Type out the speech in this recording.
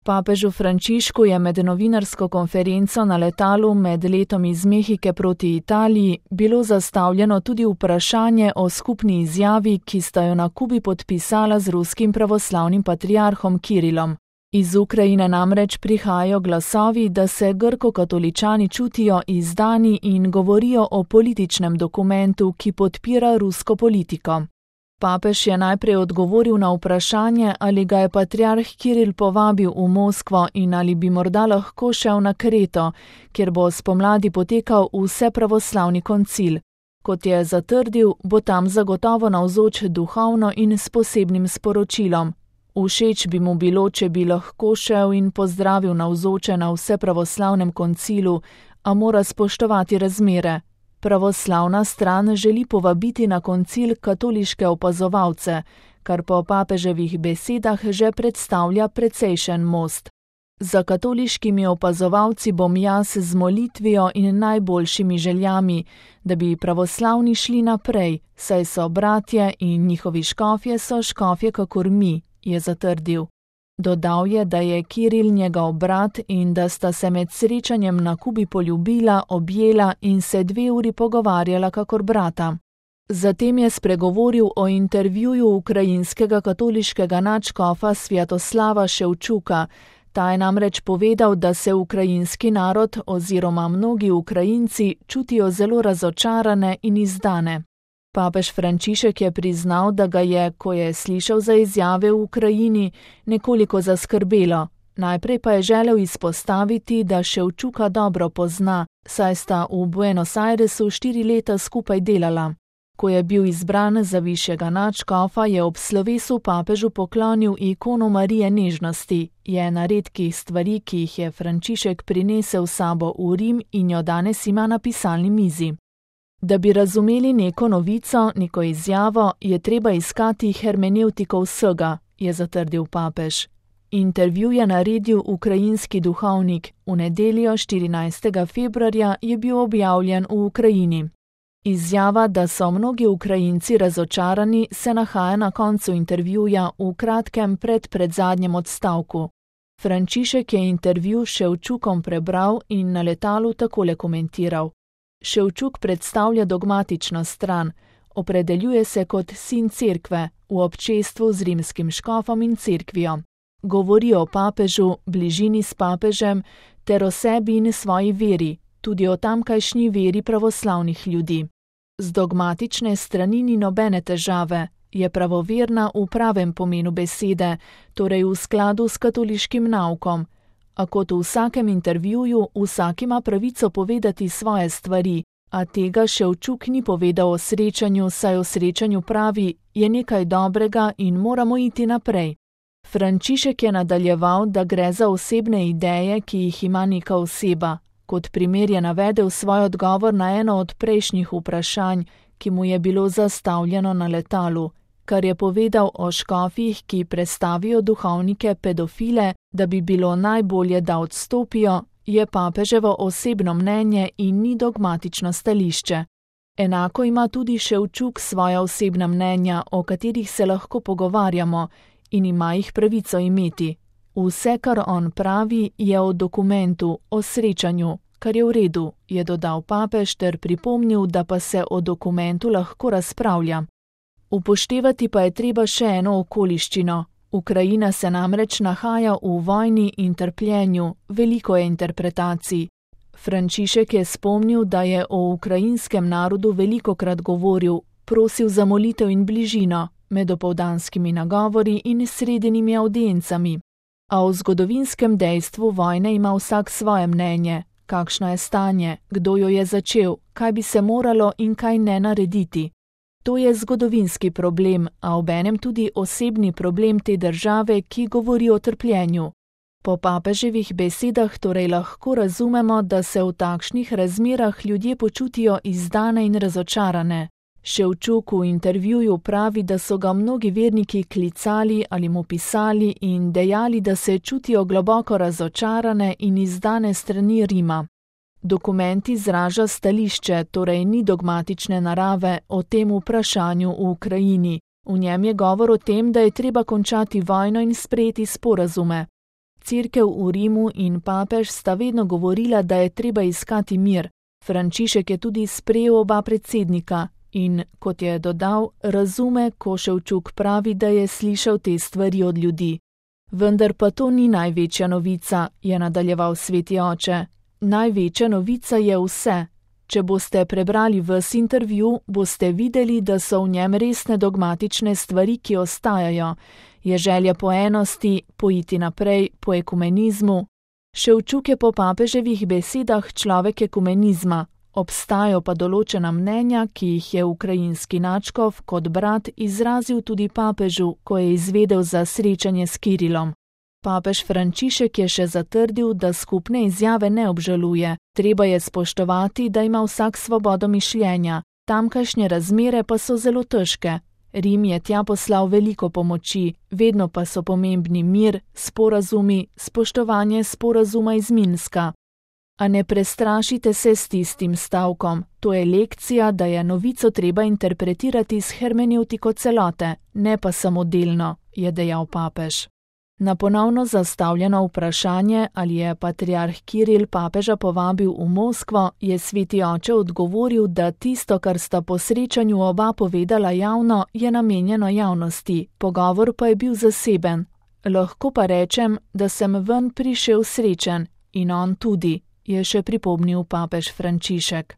Papežu Frančišku je med novinarsko konferenco na letalu med letom iz Mehike proti Italiji bilo zastavljeno tudi vprašanje o skupni izjavi, ki sta jo na Kubi podpisala z ruskim pravoslavnim patriarhom Kirilom. Iz Ukrajine namreč prihajajo glasovi, da se grko-katoličani čutijo izdani in govorijo o političnem dokumentu, ki podpira rusko politiko. Papež je najprej odgovoril na vprašanje, ali ga je patriarh Kiril povabil v Moskvo in ali bi morda lahko šel na Kreto, kjer bo spomladi potekal vsepravoslavni koncil. Kot je zatrdil, bo tam zagotovo navzoč duhovno in s posebnim sporočilom. Všeč bi mu bilo, če bi lahko šel in pozdravil navzoče na vsepravoslavnem koncilu, a mora spoštovati razmere. Pravoslavna stran želi povabiti na koncil katoliške opazovalce, kar po papeževih besedah že predstavlja precejšen most. Za katoliškimi opazovalci bom jaz z molitvijo in najboljšimi željami, da bi pravoslavni šli naprej, saj so bratje in njihovi škofje so škofje kakor mi, je zatrdil. Dodal je, da je Kiril njegov brat in da sta se med srečanjem na Kubi poljubila, objela in se 2 uri pogovarjala kakor brata. Zatem je spregovoril o intervjuju ukrajinskega katoliškega nadškofa Svjatoslava Ševčuka. Ta je namreč povedal, da se ukrajinski narod oziroma mnogi Ukrajinci čutijo zelo razočarane in izdane. Papež Frančišek je priznal, da ga je, ko je slišal za izjave v Ukrajini, nekoliko zaskrbelo. Najprej pa je želel izpostaviti, da Ševčuka dobro pozna, saj sta v Buenos Airesu 4 leta skupaj delala. Ko je bil izbran za višjega nadškofa, je ob slovesu papežu poklonil ikono Marije nežnosti, je ena redkih stvari, ki jih je Frančišek prinesel s sabo v Rim in jo danes ima na pisalni mizi. Da bi razumeli neko novico, neko izjavo, je treba iskati hermenevtiko vsega, je zatrdil papež. Intervju je naredil ukrajinski duhovnik, v nedeljo 14. februarja je bil objavljen v Ukrajini. Izjava, da so mnogi Ukrajinci razočarani, se nahaja na koncu intervjuja v kratkem predzadnjem odstavku. Frančišek je intervju s Ševčukom prebral in na letalu takole komentiral. Ševčuk predstavlja dogmatično stran, opredeljuje se kot sin cerkve, v občestvu z rimskim škofom in cerkvijo. Govori o papežu, bližini s papežem, ter o sebi in svoji veri, tudi o tamkajšnji veri pravoslavnih ljudi. Z dogmatične strani ni nobene težave, je pravoverna v pravem pomenu besede, torej v skladu s katoliškim naukom. A kot v vsakem intervjuju, vsak ima pravico povedati svoje stvari, a tega Ševčuk ni povedal o srečanju, saj o srečanju pravi, je nekaj dobrega in moramo iti naprej. Frančišek je nadaljeval, da gre za osebne ideje, ki jih ima neka oseba. Kot primer je navedel svoj odgovor na eno od prejšnjih vprašanj, ki mu je bilo zastavljeno na letalu, kar je povedal o škofih, ki prestavijo duhovnike pedofile, da bi bilo najbolje, da odstopijo, je papeževo osebno mnenje in ni dogmatično stališče. Enako ima tudi Ševčuk svoja osebna mnenja, o katerih se lahko pogovarjamo in ima jih pravico imeti. Vse, kar on pravi, je o dokumentu, o srečanju, kar je v redu, je dodal papež ter pripomnil, da pa se o dokumentu lahko razpravlja. Upoštevati pa je treba še eno okoliščino. Ukrajina se namreč nahaja v vojni in trpljenju, veliko je interpretacij. Frančišek je spomnil, da je o ukrajinskem narodu velikokrat govoril, prosil za molitev in bližino, med opoldanskimi nagovori in sredinimi audiencami. A o zgodovinskem dejstvu vojne ima vsak svoje mnenje, kakšno je stanje, kdo jo je začel, kaj bi se moralo in kaj ne narediti. To je zgodovinski problem, a obenem tudi osebni problem te države, ki govori o trpljenju. Po papeževih besedah torej lahko razumemo, da se v takšnih razmerah ljudje počutijo izdane in razočarane. Ševčuk v intervjuju pravi, da so ga mnogi verniki klicali ali mu pisali in dejali, da se čutijo globoko razočarane in izdane strani Rima. Dokument izraža stališče, torej ni dogmatične narave o tem vprašanju v Ukrajini. V njem je govor o tem, da je treba končati vojno in sprejeti sporazume. cerkev v Rimu in papež sta vedno govorila, da je treba iskati mir. Frančišek je tudi sprejel oba predsednika in, kot je dodal, razume, ko Ševčuk pravi, da je slišal te stvari od ljudi. Vendar pa to ni največja novica, je nadaljeval sveti oče. Največja novica je vse. Če boste prebrali ves intervju, boste videli, da so v njem resne dogmatične stvari, ki ostajajo. Je želja po enosti, poiti naprej, po ekumenizmu. Ševčuk je po papeževih besedah človek ekumenizma, obstajajo pa določena mnenja, ki jih je ukrajinski nadškof kot brat izrazil tudi papežu, ko je izvedel za srečanje s Kirilom. Papež Frančišek je še zatrdil, da skupne izjave ne obžaluje. Treba je spoštovati, da ima vsak svobodo mišljenja. Tamkajšnje razmere pa so zelo težke. Rim je tja poslal veliko pomoči, vedno pa so pomembni mir, sporazumi, spoštovanje sporazuma iz Minska. A ne prestrašite se s tistim stavkom. To je lekcija, da je novico treba interpretirati s hermenevtiko celote, ne pa samo delno, je dejal papež. Na ponovno zastavljeno vprašanje, ali je patriarh Kiril papeža povabil v Moskvo, je sveti oče odgovoril, da tisto, kar sta po srečanju oba povedala javno, je namenjeno javnosti, pogovor pa je bil zaseben. Lahko pa rečem, da sem ven prišel srečen in on tudi, je še pripomnil papež Frančišek.